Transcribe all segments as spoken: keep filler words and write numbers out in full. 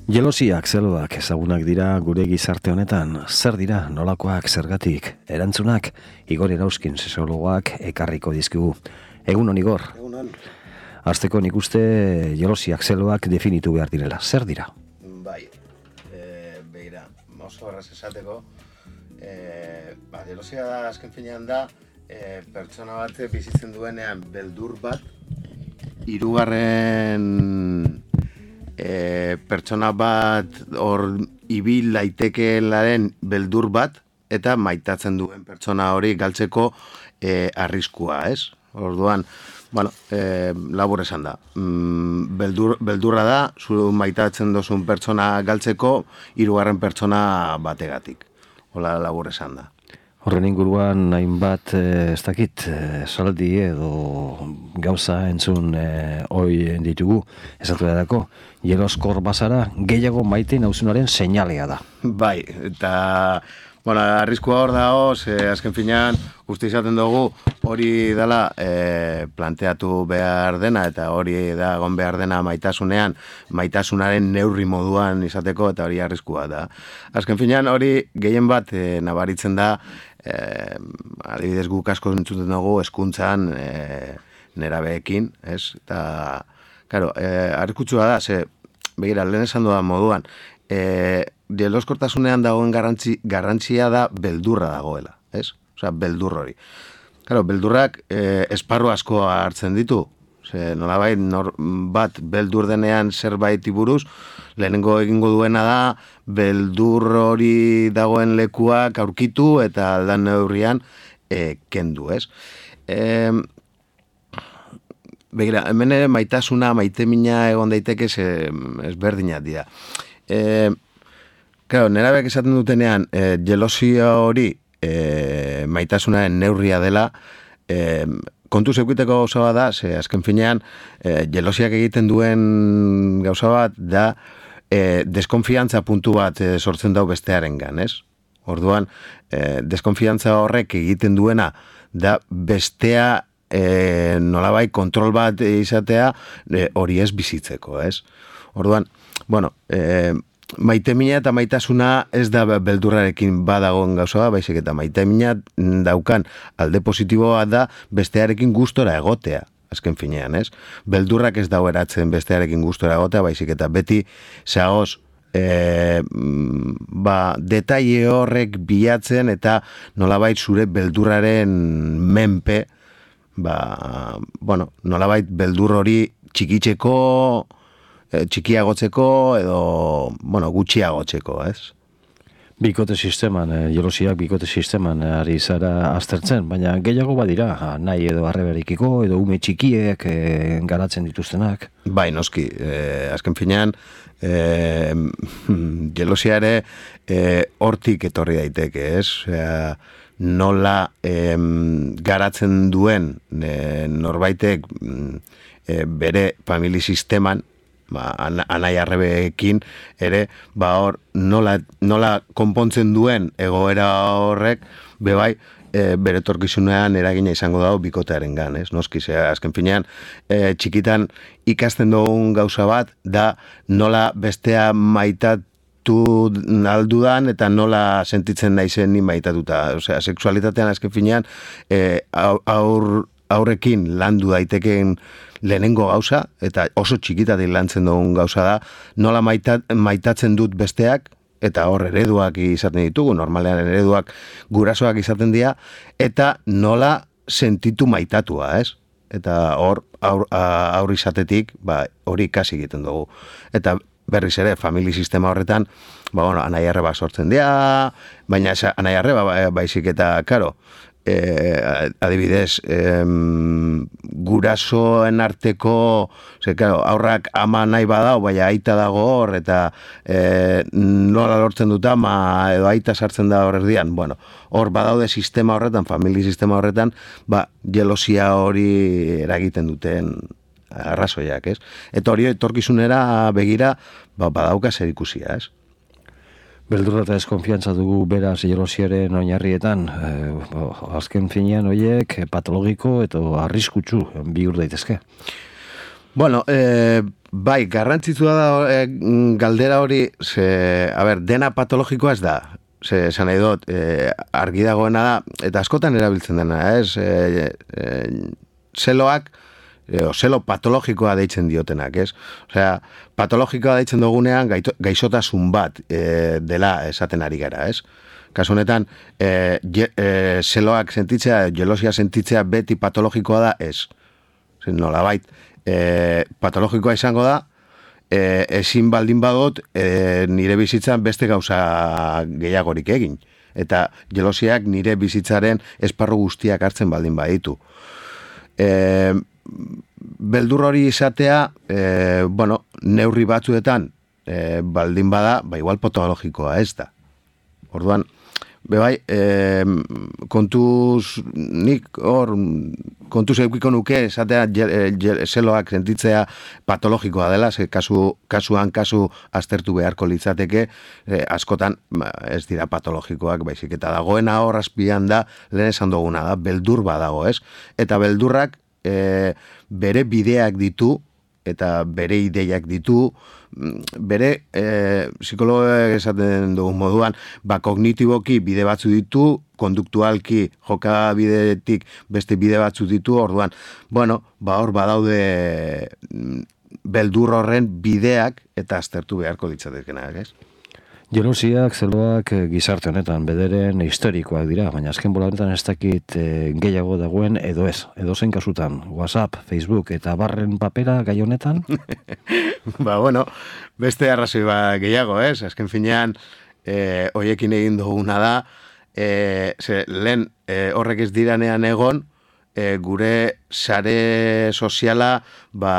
Jelosiak, zeloak ezagunak dira gure gizarte honetan. Zer dira, nolakoak, zergatik, erantzunak, Igor Erauzkin sexologoak ekarriko dizkigu. Egun hon, Igor. Egun hon. Azteko nik uste jelosiak, zeloak definitu behar direla. Zer dira? Bai, e, behira, oso horraz esateko, e, ba, jelosia da, azken finean da, e, pertsona bat bizitzen duenean beldur bat, hirugarren e, pertsona bat hor ibil laitekeelaren beldur bat, eta maitatzen duen pertsona hori galtzeko e, arriskua, ez? Orduan, bueno, e, labur esan da. Mm, beldur, beldurra da, zu maitatzen dozun pertsona galtzeko, hirugarren pertsona bategatik. Hola labur esan da. Horren inguruan hainbat, ez dakit, saldi edo gauza entzun e, oi ditugu, esatu edako, jeloskor bazara gehiago maite nauzunaren seinalea da. Bai, eta, bueno, arriskua hor dago, ze azken finean, uste izaten dugu, hori dela e, planteatu behar dena, eta hori da egon behar dena maitasunean, maitasunaren neurri moduan izateko, eta hori arriskua da. Azken finean, hori gehien bat e, nabaritzen da, Eh, adibidez guk asko entzuten dugu hezkuntzan eh, nerabeekin, ez? Eta, claro, eh, arriskutsua da, ze, begira, lehen esan dudan moduan, eh, jeloskortasunean dagoen garrantzi, garrantzia da beldurra dagoela, ez? Osea, beldur hori. Claro, beldurrak eh, esparru asko hartzen ditu, ze, nolabait, nor, bat beldur denean zerbait buruz, lehenengo egingo duena da, beldur hori dagoen lekuak aurkitu eta aldan neurrian e, kendu, ez? E, begira, hemen ere maitasuna, maitemina egon daiteke ezberdinak dira. E, claro, nerabek esaten dutenean, e, jelosia hori e, maitasunaren neurria dela, e, kontu zeukiteko gauza bat da, ze azken finean, e, jelosiak egiten duen gauza bat da, E, deskonfiantza puntu bat e, sortzen dau bestearengan, ez? Orduan, e, deskonfiantza horrek egiten duena da bestea e, nolabait kontrol bat izatea e, hori ez bizitzeko, ez? Orduan, bueno, e, maitemina eta maitasuna ez da beldurrarekin badagoen gauza, baizik eta maitemina daukan alde positiboa da bestearekin gustora egotea. Azken finean, ez? Beldurrak ez dau eratzen bestearekin gustora egotea, baizik eta beti zagoz e, ba, detaile horrek bilatzen eta nolabait zure beldurraren menpe, ba, bueno, nolabait beldur hori txikitzeko, e, txikiagotzeko edo, bueno, gutxiagotzeko, ez? Bikote sisteman, e, jelosiak bikote sisteman ari zara aztertzen, baina gehiago badira, nahi edo arreberikiko, edo ume txikiek e, garatzen dituztenak. Bai, noski, e, azken finean, e, jelosia ere e, hortik etorri daiteke, ez? E, nola e, garatzen duen e, norbaitek e, bere famili sisteman, ba, anai arrebeekin ere, ba hor, nola, nola konpontzen duen egoera horrek, bebai, e, bere etorkizunean eragina izango dago bikotearen gan, ez? Noski, ze, azken finean, e, txikitan ikasten dugun gauza bat, da nola bestea maitatu aldudan eta nola sentitzen naizen ni maitatuta. Osea, sexualitatean azken finean, e, aur, aurrekin landu daitekeen lehenengo gauza, eta oso txikitatik lantzen dugun gauza da, nola maitat, maitatzen dut besteak, eta hor ereduak izaten ditugu, normalean ereduak gurasoak izaten dira, eta nola sentitu maitatua, ez? Eta hor aur, aur izatetik, ba, hori ikasi egiten dugu. Eta berriz ere, famili sistema horretan, ba, bueno, anai arreba sortzen dira, baina anai arreba baizik eta, karo, Eh, adibidez, eh, gurasoen arteko, ze, claro, aurrak ama nahi badau, baina aita dago hor, eta eh, nola lortzen dut ama, edo aita sartzen da hor erdian, bueno, hor badaude sistema horretan, famili sistema horretan, ba, jelosia hori eragiten duten arrazoiak, ez? Eta hori etorkizunera begira, ba, badauka zer ikusia, ez? Beldurra eta deskonfiantza dugu beraz jelosiaren oinarrietan, e, azken finean horiek patologiko eta arriskutsu bihur daitezke. Bueno, eh, bai, garrantzitsua da eh, galdera hori, ze, a ber, dena patologikoa ez da. Ze, esan nahi dut, eh, argi dagoena da, eta askotan erabiltzen dena, ez? Eh, eh, zeloak, eh, o zelo patologikoa deitzen diotenak, ez? Osea, patologikoa deitzen dugunean gaito, gaixotasun bat eh, dela esaten ari gara, ez? Kasu honetan, eh, je, eh, zeloak sentitzea, jelosia sentitzea beti patologikoa da, ez. Zer, nolabait, eh, patologikoa izango da, E, ezin baldin badot e, nire bizitzan beste gauza gehiagorik egin. Eta jelosiak nire bizitzaren esparru guztiak hartzen baldin baditu. E, beldur hori izatea, e, bueno, neurri batzuetan e, baldin bada, ba igual patologikoa ez da. Orduan, bebai, e, kontuz, nik hor, kontuz eukiko nuke, esatea zeloak sentitzea patologikoa dela, ze kasu, kasuan kasu aztertu beharko litzateke, e, askotan ez dira patologikoak, baizik eta dagoena hor azpian da, lehen esan duguna da, beldur badago, ez? Eta beldurrak e, bere bideak ditu, eta bere ideiak ditu, bere e, psikologoek esaten dugun moduan, ba, kognitiboki bide batzu ditu, konduktualki jokabidetik beste bide batzu ditu, orduan, bueno, ba, hor badaude beldur horren bideak eta aztertu beharko ditzatekenak, ez? Jelosiak, zeloak gizarte honetan bederen historikoak dira, baina azken bola honetan ez dakit e, gehiago dagoen edo ez, edo zen kasutan, WhatsApp, Facebook eta barren papera gai honetan? Ba, bueno, beste arrazoi ba gehiago, ez? Azken finean, e, hoiekin egin duguna da, e, ze, lehen e, horrek ez diranean egon, e, gure sare soziala, ba,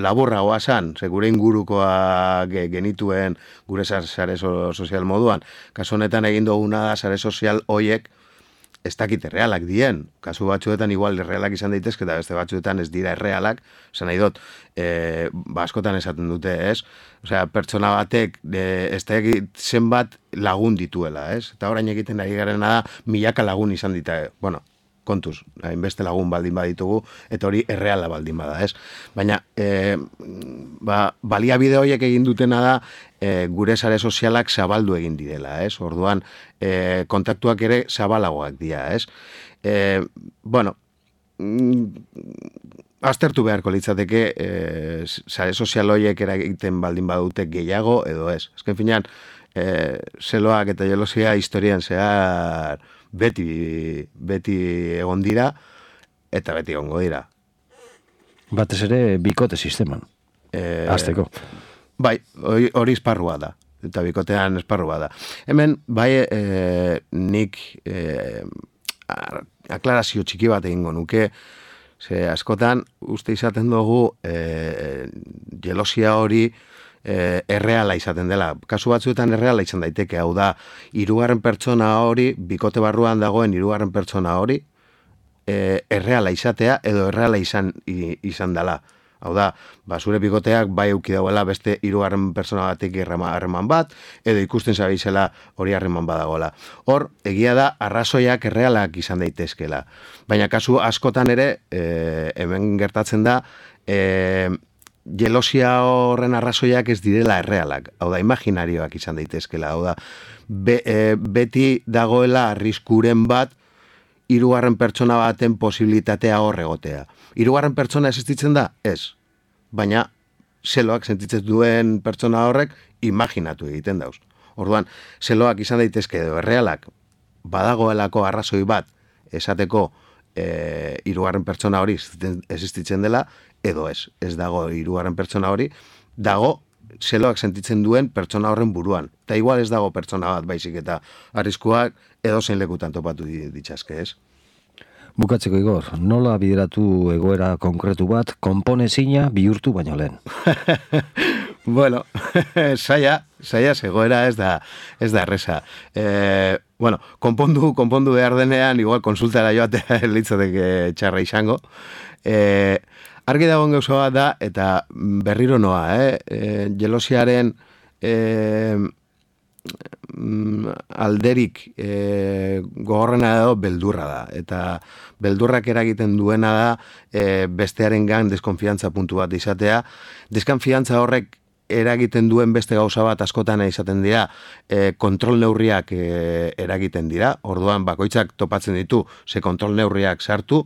laburragoa zan, ze gure ingurukoa genituen gure sare sozial moduan. Kasu honetan egin duguna da sare sozial hoiek ez dakit errealak dien. Kasu batzuetan igual errealak izan daitezke eta beste batzuetan ez dira errealak. Esan nahi dut, e, ba, askotan esaten dute, ez? Osea, pertsona batek e, ez dakit zenbat lagun dituela, ez? Eta orain egiten ari garena da milaka lagun izan dita, bueno, kontuz, hainbeste lagun baldin baditugu, eta hori erreala baldin bada, ez? Baina, e, ba, baliabide horiek egin dutena da, e, gure sare sozialak zabaldu egin direla, ez? Orduan, e, kontaktuak ere zabalagoak dira, ez? E, bueno, aztertu beharko litzateke, e, sare sozial horiek eragiten baldin badute gehiago, edo ez? Azken finean, e, zeloak eta jelosia historian zehar beti, beti egon dira, eta beti egongo dira. Batez ere, bikote sisteman, e, azteko. Bai, hori esparrua da, eta bikotean esparrua da. Hemen, bai, e, nik e, aklarazio txiki bat egingo nuke, ze askotan, uste izaten dugu, e, jelosia hori, E, erreala izaten dela. Kasu batzuetan erreala izan daiteke, hau da, hirugarren pertsona hori, bikote barruan dagoen hirugarren pertsona hori, e, erreala izatea edo erreala izan, izan dela. Hau da, ba, zure bikoteak bai euki dauela beste hirugarren pertsona batek harreman bat, edo ikusten zabizela hori harreman badagoela. Hor, egia da, arrazoiak errealak izan daitezkela. Baina kasu askotan ere, e, hemen gertatzen da, e, jelosia horren arrazoiak ez direla errealak, hau da, imaginarioak izan daitezkela, hau da, be, e, beti dagoela arriskuren bat hirugarren pertsona baten posibilitatea hor egotea. Hirugarren pertsona existitzen da? Ez. Baina, zeloak sentitzen duen pertsona horrek imaginatu egiten dauz. Orduan, zeloak izan daitezke edo errealak badagoelako arrazoi bat esateko e, hirugarren pertsona hori existitzen dela, edo ez, ez dago hirugarren pertsona hori, dago zeloak sentitzen duen pertsona horren buruan. Eta igual ez dago pertsona bat baizik eta arriskuak edo zein lekutan topatu ditxazke, ez? Bukatzeko, Igor, nola bideratu egoera konkretu bat konponezina bihurtu baino lehen? Bueno, saia, saia egoera ez da, ez da erresa. E, bueno, konpondu, konpondu behar denean, igual konsultara joatea litzateke txarra izango. E, Argi dagoen gauza bat da, eta berriro noa, eh? E, jelosiaren e, alderik e, gogorrena edo beldurra da. Eta beldurrak eragiten duena da e, bestearen gan deskonfiantza puntu bat izatea. Deskonfiantza horrek eragiten duen beste gauza bat askotan izaten dira, e, kontrol neurriak e, eragiten dira. Orduan bakoitzak topatzen ditu, ze kontrol neurriak sartu,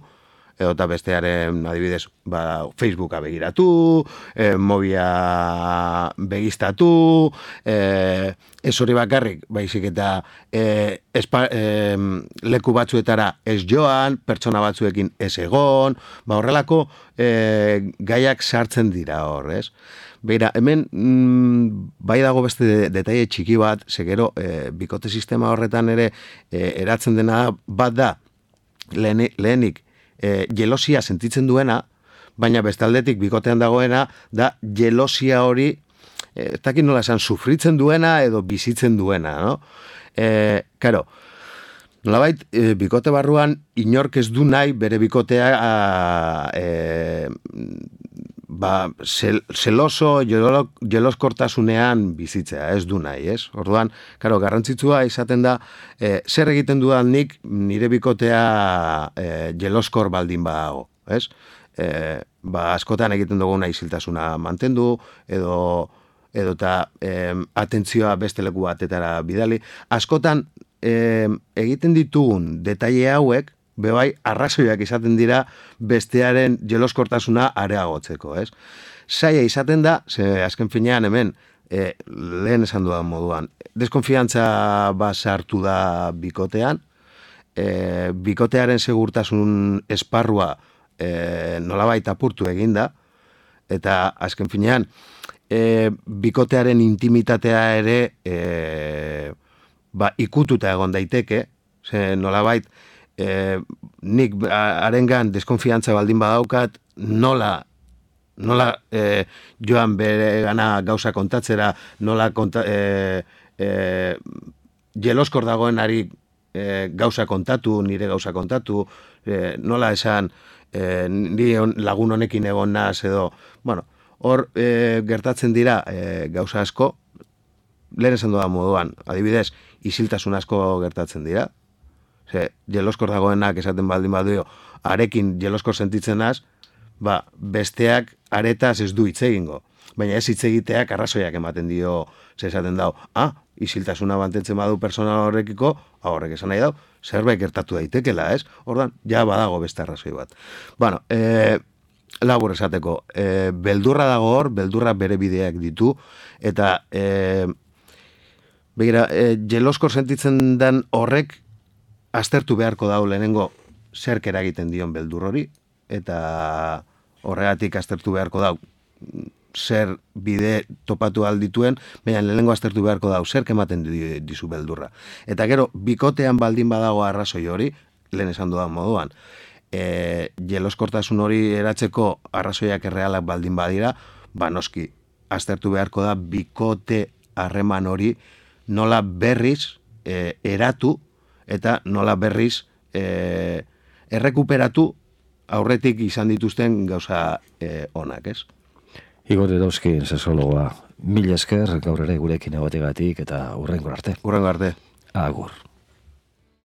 edo eta bestearen adibidez ba, Facebooka begiratu, e, mobia begiztatu, e, ez hori bakarrik, baizik eta e, espa, e, leku batzuetara ez joan, pertsona batzuekin ez egon, ba horrelako e, gaiak sartzen dira hor, ez? Beira, hemen mm, bai dago beste detaile txiki bat, segero e, bikote sistema horretan ere e, eratzen dena bat da, lehen, lehenik, E, jelosia sentitzen duena, baina bestaldetik bikotean dagoena da jelosia hori e, ez dakit nola esan, sufritzen duena edo bizitzen duena, no? E, karo, nolabait, e, bikote barruan inork ez du nahi bere bikotea a, e, ba, zel, zeloso, jeloskortasunean bizitzea, ez du nahi, ez? Orduan, karo, garrantzitsua izaten da, e, zer egiten dudan nik nire bikotea e, jeloskor baldin badago, ez? E, ba, askotan egiten dugu isiltasuna mantendu, edo edo eta e, atentzioa beste leku batetara bidali. Askotan e, egiten ditugun detaile hauek, bebai, arrazoiak izaten dira bestearen jeloskortasuna areagotzeko, ez? Zaila izaten da, ze azken finean hemen, e, lehen esan dudan moduan, deskonfiantza bat sartu da bikotean, e, bikotearen segurtasun esparrua e, nolabait apurtu eginda, eta azken finean, e, bikotearen intimitatea ere e, ba, ikututa egon daiteke, ze nolabait, E, nik arengan deskonfiantza baldin badaukat, nola nola e, joan bere gana gauza kontatzera, nola konta, e, e, jeloskor dagoenari e, gauza kontatu, nire gauza kontatu, e, nola esan e, nire lagun honekin egon naz edo, bueno, hor e, gertatzen dira e, gauza asko, lehen esan dudan moduan, adibidez, isiltasun asko gertatzen dira. Ze, jeloskor dagoenak esaten baldin badio, arekin jeloskor sentitzen az, ba, besteak aretaz ez du hitz egingo. Baina ez hitz egiteak arrazoiak ematen dio, ze esaten dau, ah, isiltasuna mantentzen badu persona horrekiko, horrek esan nahi dau, zerbait gertatu daitekela, ez? Ordan, ja badago beste arrazoi bat. Bueno, e, labur esateko, e, beldurra dago hor, beldurra bere bideak ditu, eta e, begira, e, jeloskor sentitzen den horrek, aztertu beharko dau lehenengo zerk eragiten dion beldur hori, eta horregatik aztertu beharko dau zer bide topatu aldituen, baina lehenengo aztertu beharko dau zerk ematen dizu beldurra. Eta gero, bikotean baldin badago arrazoi hori, lehen esan dudan moduan, e, jeloskortasun hori eratzeko arrazoiak errealak baldin badira, ba noski, aztertu beharko da bikote harreman hori nola berriz e, eratu, eta nola berriz e, errekuperatu aurretik izan dituzten gauza e, onak, ez? Igor Dauzkin, sexologoa, mila esker gaur ere gurekin egotegatik eta hurrengo arte. Hurrengo arte. Agur.